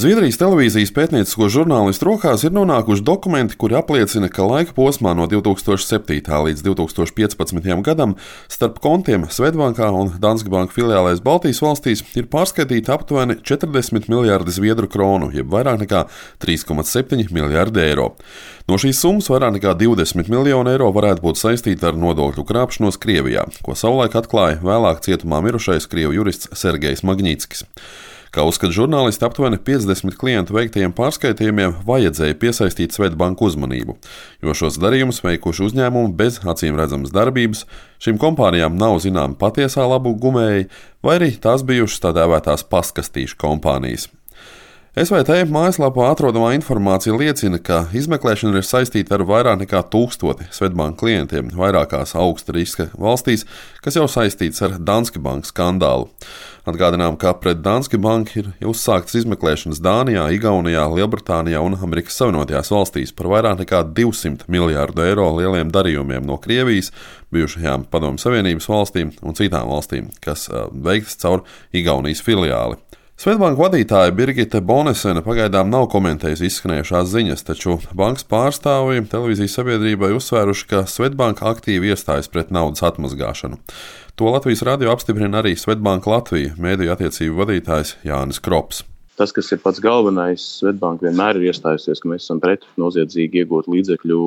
Zviedrijas televīzijas pētniecisko žurnālistu rokās ir nonākuši dokumenti, kuri apliecina, ka laika posmā no 2007. līdz 2015. gadam starp kontiem Swedbankā un Danske Bank filiālēs Baltijas valstīs ir pārskaitīti aptuveni 40 miljārdi zviedru kronu, jeb vairāk nekā 3,7 miljārdi eiro. No šīs summas vairāk nekā 20 miljoni eiro varētu būt saistīti ar nodokļu krāpšanos Krievijā, ko savulaik atklāja vēlāk cietumā mirušais krievu jurists Sergejs Magnitskis. Kā uzskata žurnālisti, aptuveni 50 klientu veiktajiem pārskaitījumiem vajadzēja piesaistīt Swedbank uzmanību, jo šos darījumus veikuši uzņēmumi bez acīmredzamas darbības, šīm kompānijām nav zināma patiesā labu gumēji, vai arī tās bijušas tā dēvētās paskastīšu kompānijas. SVT mājaslapā atrodamā informācija liecina, ka izmeklēšana ir saistīta ar vairāk nekā 1000 Swedbank klientiem vairākās augsta riska valstīs, kas jau saistīts ar Danske Bank skandālu. Atgādinām, ka pret Danske Bank ir uzsāktas izmeklēšanas Dānijā, Igaunijā, Lielbritānijā un Amerikas Savienotajās valstīs par vairāk nekā 200 miljārdu eiro lieliem darījumiem no Krievijas, bijušajām Padomju Savienības valstīm un citām valstīm, kas veiktas caur Igaunijas filiāli. Swedbank vadītāja Birgite Bonesene pagaidām nav komentējusi izskanējušās ziņas, taču bankas pārstāvji televīzijas sabiedrībai uzsvēruši, ka Swedbank aktīvi iestājas pret naudas atmazgāšanu. To Latvijas radio apstiprina arī Swedbank Latvija mēdīju attiecību vadītājs Jānis Krops. Tas, kas ir pats galvenais, Swedbank vienmēr ir iestājusies, ka mēs esam pret noziedzīgi iegūt līdzekļu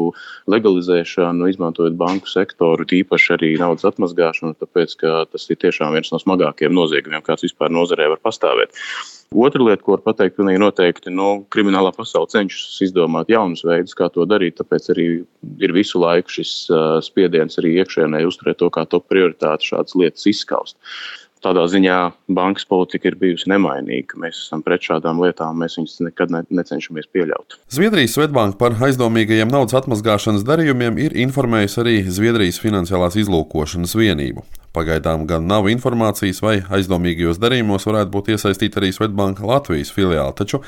legalizēšanu, izmantojot banku sektoru, tīpaši arī naudas atmazgāšanu, tāpēc, ka tas ir tiešām viens no smagākajiem noziegumiem, kāds vispār nozarē var pastāvēt. Otra lieta, ko var pateikt, pilnīgi noteikti, kriminālā pasaule cenšas izdomāt jaunus veidus, kā to darīt, tāpēc arī ir visu laiku šis spiediens arī iekšēnē uzturēt to kā top prioritāti šādas lietas izskaust. Tādā ziņā bankas politika ir bijusi nemainīga. Mēs esam pret šādām lietām, mēs viņus nekad necenšamies pieļaut. Zviedrijas Swedbank par aizdomīgajiem naudas atmazgāšanas darījumiem ir informējusi arī Zviedrijas finansiālās izlūkošanas vienību. Pagaidām gan nav informācijas, vai aizdomīgajos darījumos varētu būt iesaistīta arī Swedbank Latvijas filiāle, taču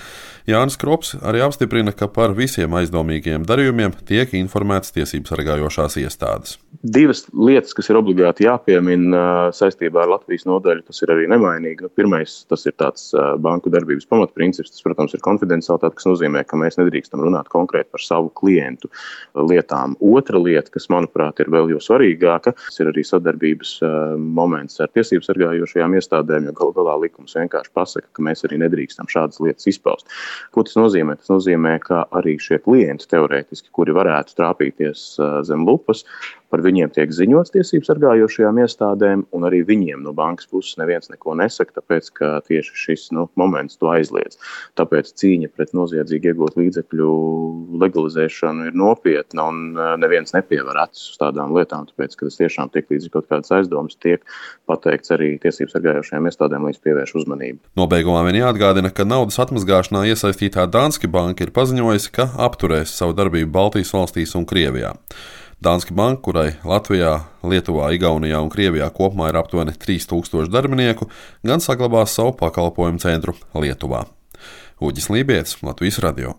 Jānis Krops arī apstiprina, ka par visiem aizdomīgajiem darījumiem tiek informētas tiesības sargājošās iestādes. Divas lietas, kas ir obligāti jāpiemina saistībā ar Latvijas nodaļu, tas ir arī nemainīgi. Pirmais, tas ir tāds banku darbības pamatprincips, tas, protams, ir konfidencialitāte, kas nozīmē, ka mēs nedrīkstam runāt konkrēti par savu klientu lietām. Otra lieta, kas, manuprāt, ir vēl jo svarīgāka, tas ir arī sadarbības moments ar tiesību sargājošajām iestādēm, jo galu galā likums vienkārši pasaka, ka mēs arī nedrīkstam šādas lietas izpaust. Ko tas nozīmē? Tas nozīmē, ka arī šie klienti teorētiski, kuri varētu trāpīties zem lupas, par viņiem tiek ziņots tiesību sargājošajām iestādēm, un arī viņiem no bankas puses neviens neko nesaka, tāpēc, ka tieši šis moments to aizliedz. Tāpēc cīņa pret noziedzīgi iegūt līdzekļu legalizēšanu ir nopietna, un neviens nepievar acis uz tādām lietām, tāpēc, ka tas tiešām tiek līdz kaut kādas aizdomas, tiek pateikts arī tiesību sargājošajām iestādēm, līdz pievērš uzmanību. Nobeigumā vien jāatgādina, ka naudas atmazgāšanā iesaistītā Danske Bank ir paziņojusi, ka apturēs savu darbību Baltijas valstīs un Krievijā. Danske Bank, kurai Latvijā, Lietuvā, Igaunijā un Krievijā kopumā ir aptuveni 3000 darbinieku, gan saglabās savu pakalpojumu centru Lietuvā. Uģis Lībietis, Latvijas radio.